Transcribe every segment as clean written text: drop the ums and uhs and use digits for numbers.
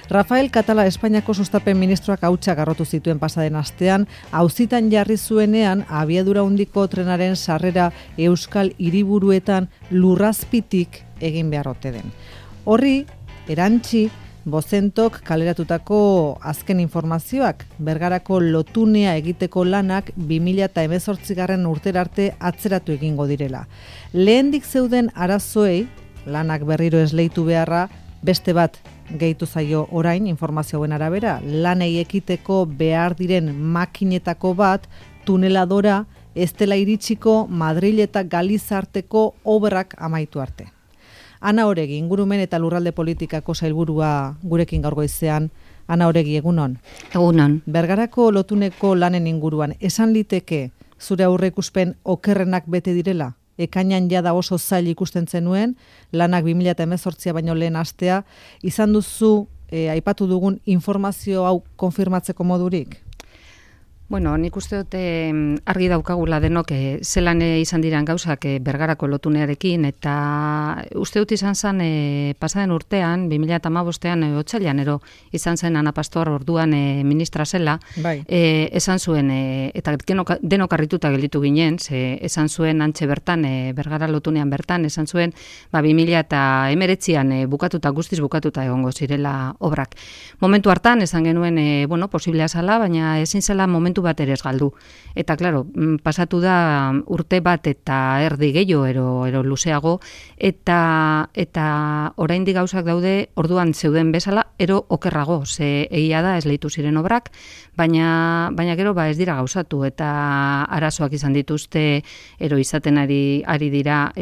Rafael Catala Espainiako sustapen ministroak hautsa garrotu zituen pasaden astean, auzitan jarri zuenean abiadura handiko trenaren sarrera euskal hiriburuetan lurrazpitik egin behar ote den. Horri, erantzi, Bozentok kaleratutako azken informazioak, Bergarako lotunea egiteko lanak 2018 urtera arte atzeratu egingo direla. Lehendik zeuden arazoei, lanak berriro esleitu beharra, beste bat gehitu zaio orain informazioen arabera, lanei ekiteko behar diren makinetako bat, tuneladora, ez dela iritsiko Madril eta Galiza arteko obrak amaitu arte. Ana Oregi, ingurumen eta lurralde politikako sailburua gurekin gaur goizean. Ana Oregi, egunon. Egunon. Bergarako lotuneko lanen inguruan, esan liteke zure aurreikuspen okerrenak bete direla? Ekainan jada oso zail ikusten zenuen, lanak 2018 baino lehen astea, izan duzu aipatu dugun informazio hau konfirmatzeko modurik? Bueno, nik uste dute argi daukagula denok zelan izan diran gauzak Bergarako lotunearekin, eta uste dut izan zen pasaden urtean, 2015an otsailean izan zen Ana Pastor orduan ministra zela, bai. Esan zuen, eta denok harrituta gelditu ginen, esan zuen antxe bertan, Bergara lotunean bertan, esan zuen 2019an bukatuta, guztiz bukatuta egongo zirela obrak. Momentu hartan, esan genuen, posiblea zala, baina ezin zela momentu bat ere ez galdu. Eta, klaro, pasatu da urte bat eta erdi gehiago ero luzeago, eta oraindik gauzak daude orduan zeuden bezala, ero okerrago, ze egia da esleitu ziren obrak, baina gero ez dira gauzatu, eta arazoak izan dituzte, ero izaten ari dira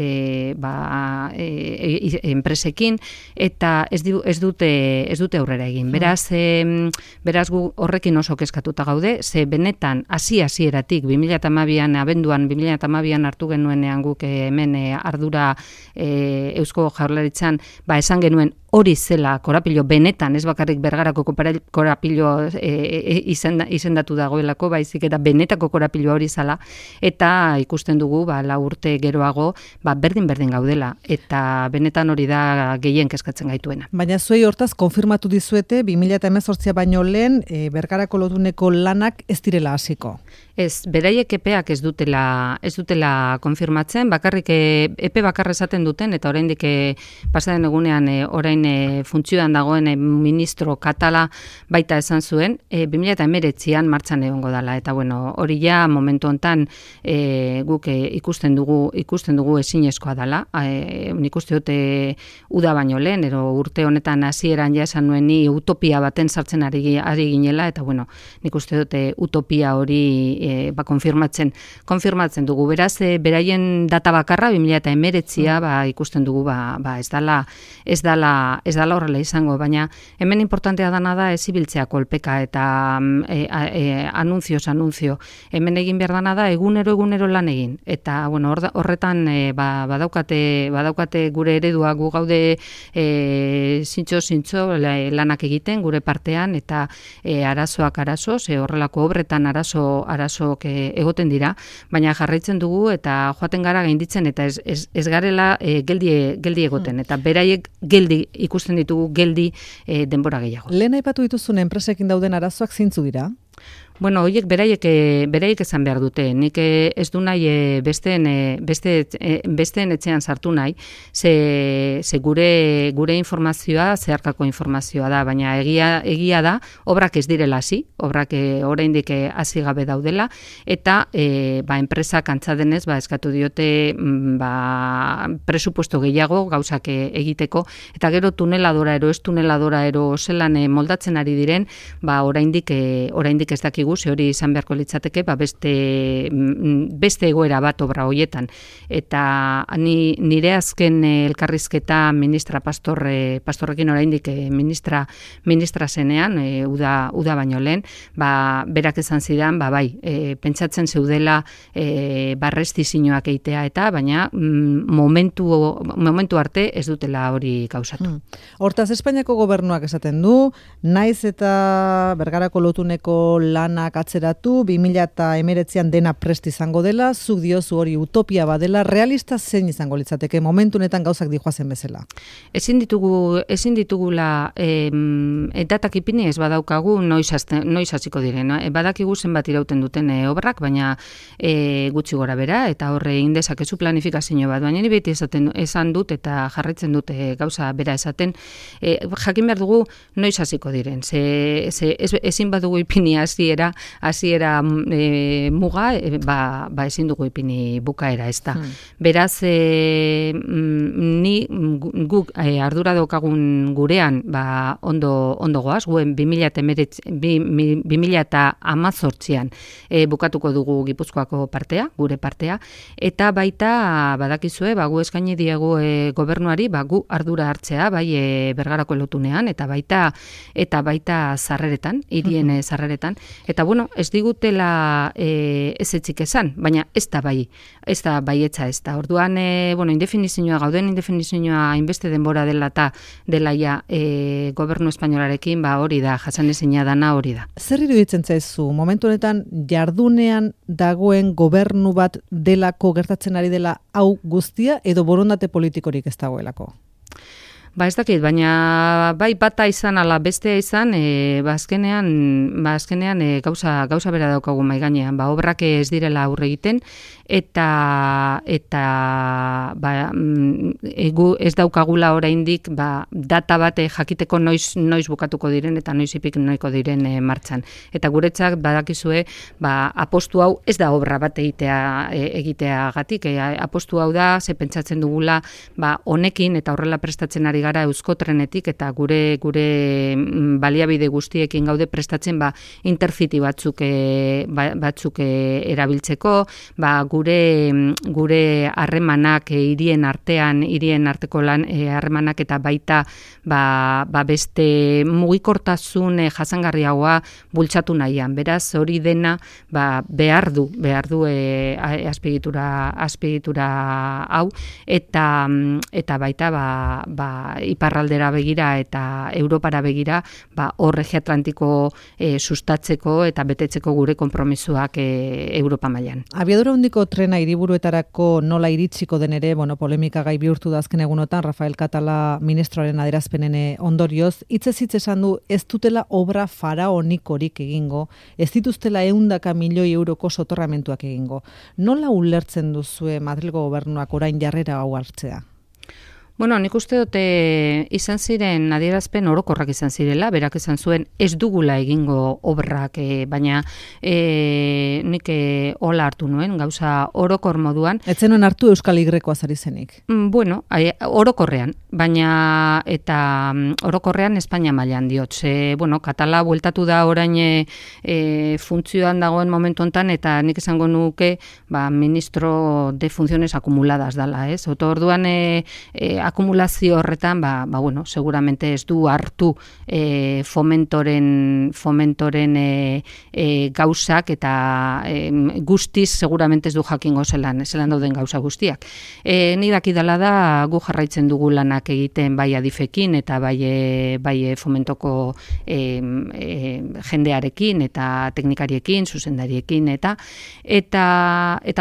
enpresekin, eta ez dute aurrera egin. Beraz gu horrekin oso kezkatuta gaude, ze benetan hasieratik 2012an abenduan 2012an hartu genuenean guk hemen ardura Eusko Jaurlaritzan esan genuen hori zela korapilo benetan, ez bakarrik Bergarako korapilo izendatu dagoelako, baizik eta benetako korapilo hori zala, eta ikusten dugu 4 urte geroago berdin gaudela, eta benetan hori da gehien kezkatzen gaituena. Baina zuei hortaz konfirmatu dizuete 2018 baino lehen Bergarako lotuneko lanak ez direla hasiko. Ez, beraiek epeak ez dutela konfirmatzen, bakarrik epe bakarra esaten duten, eta oraindik pasaden egunean orain funtzioan dagoen ministro Catala baita esan zuen, 2019an martxan egongo dela, eta hori ja momentu hontan guk ikusten dugu ezinezkoa dela. Nik uste dute uda baino lehen, urte honetan hasieran ja esan nuen ni utopia baten sartzen ari ginela, eta nik uste dute utopia hori konfirmatzen dugu. Beraz, beraien data bakarra 2019a ikusten dugu ez dela horrela izango, baina hemen importantea dana da ez ibiltzea kolpeka eta anunzio. Hemen egin behar dana da egunero lan egin. Eta horretan badaukate gure eredua, gu gaude zintxo lanak egiten gure partean, eta arazoak arazo, horrelako obretan arazok egoten dira, baina jarraitzen dugu eta joaten gara gainditzen, eta ez garela geldi egoten, eta beraiek geldi ikusten ditugu geldi denbora gehiago. Lehen aipatu dituzun enpresekin dauden arazoak zintzu dira? Horiek beraiek esan behar dute. Nik ez du nahi besteen etxean sartu nahi, ze gure informazioa zeharkako informazioa da, baina egia da, obrak ez direla hasi, obrak oraindik hasi gabe daudela, eta enpresak antza denez eskatu diote presupuesto gehiago gauzak egiteko, eta gero tuneladora ez tuneladora zelan moldatzen ari diren, oraindik ez dakigu, ze hori izan beharko litzateke, beste egoera bat obra hoietan. Eta nire azken elkarrizketa ministra Pastorrekin oraindik ministra zenean, uda baino lehen, berak esan zidan, pentsatzen zeudela barrestizioak eitea eta, baina momentu arte ez dutela hori gauzatu. Hortaz, Espainiako gobernuak esaten du, naiz eta Bergarako lotuneko lan planak atzeratu, 2019an dena prest izango dela, zuk diozu hori utopia badela, realista zein izango litzateke momentu honetan gauzak dijoazen bezala? Ezin ditugula datak ipini ez badaukagu noiz hasiko diren. Badakigu zenbat irauten duten obrak, baina gutxi gora bera, eta horre indezakezu planifikazio bat, baina ni beti esan dut eta jarraitzen dute gauza bera esaten, jakin behar dugu noiz hasiko diren. Ezin badugu ipini hasiera muga, ezin dugu ipini bukaera, ez da. Beraz, guk ardura daukagun gurean ondo goaz, guen 2018an bukatuko dugu Gipuzkoako partea, gure partea, eta baita badakizue, gu eskaini diegu gobernuari gu ardura hartzea, bai Bergarako lotunean, eta baita sarreretan, hirien sarreretan, eta bueno, ez digutela ez etzik esan, baina ez da baietza ez da. Orduan, indefinizioa, gauden indefinizioa hainbeste denbora dela eta delaia gobernu espainolarekin, hori da, jasanezina dana hori da. Zer iruditzen zaizu, momentu honetan jardunean dagoen gobernu bat delako gertatzen ari dela hau guztia, edo borondate politikorik ez dagoelako? Ez dakit, baina bai bata izan ala bestea izan, azkenean gauza bera daukagu mahai gainean, obrak ez direla aurre egiten, eta ez daukagula oraindik data bat jakiteko noiz bukatuko diren eta noiz ipik noiko diren martxan. Eta guretzak badakizue, apostu hau ez da obra bat egiteagatik, apostu hau da, ze pentsatzen dugula, honekin eta horrela prestatzen ari gara Euskotrenetik eta gure baliabide guztiekin gaude prestatzen intercity batzuk erabiltzeko, gure harremanak hirien arteko harremanak eta baita beste mugikortasun jasangarriagoa bultzatu nahian. Beraz, hori dena behar du azpiegitura hau, eta baita iparraldera begira eta Europara begira hor eje atlantiko sustatzeko eta betetzeko gure konpromisoak Europa mailan. Abiadura handiko trena hiriburuetarako nola iritsiko den ere, polemika gai bihurtu da azken egunotan, Rafael Catala ministroaren adierazpenen ondorioz, hitzez hitz esan du ez dutela obra faraonikorik egingo, ez dituztela 100 milioi euroko soterramentuak egingo. Nola ulertzen duzue Madrilgo gobernuak orain jarrera hau hartzea? Nik uste dute izan ziren adierazpen orokorrak izan zirela, berak izan zuen ez dugula egingo obrak, baina nik hola hartu nuen, gauza orokor moduan. Ez zenuen hartu Euskal Y-koa zari zenik? Orokorrean, baina eta orokorrean Espainia mailan diot. Catala bueltatu da orain funtzioan dagoen momentu hontan, eta nik esango nuke ministro de funciones acumuladas dala, ez? Orduan akumulazio horretan, seguramente ez du hartu fomentoren gauzak, eta guztiz seguramente ez du jakingo zelan dauden gauza guztiak. Ni dakidala da, gu jarraitzen dugu lanak egiten bai adifekin eta bai fomentoko jendearekin eta teknikariekin, zuzendariekin eta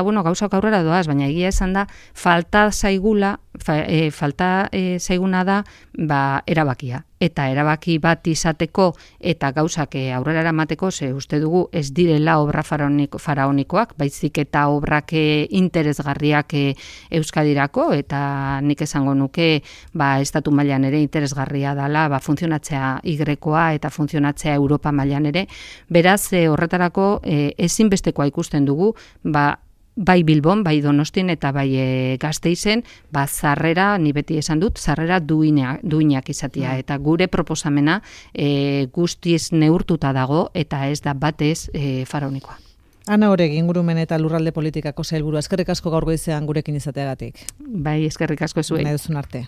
gauzak aurrera doaz, baina egia esan da, falta zaiguna da erabakia. Eta erabaki bat izateko eta gauzak aurrera eramateko, uste dugu ez direla obra faraonikoak, baizik eta obrak interesgarriak Euskadirako, eta nik esango nuke estatu mailan ere interesgarria dela funtzionatzea Y-koa eta funtzionatzea Europa mailan ere. Beraz, horretarako ezinbestekoa ikusten dugu, bai Bilbon, bai Donostin eta bai Gasteizen, sarrera, ni beti esan dut, sarrera duinak izatea. Eta gure proposamena guztiz neurtuta dago eta ez da batez faraonikoa. Ana Oregi, ingurumen eta lurralde politikako sailburua, eskerrik asko gaur goizean gurekin izateagatik. Bai, eskerrik asko zuei. Nahi duzun arte.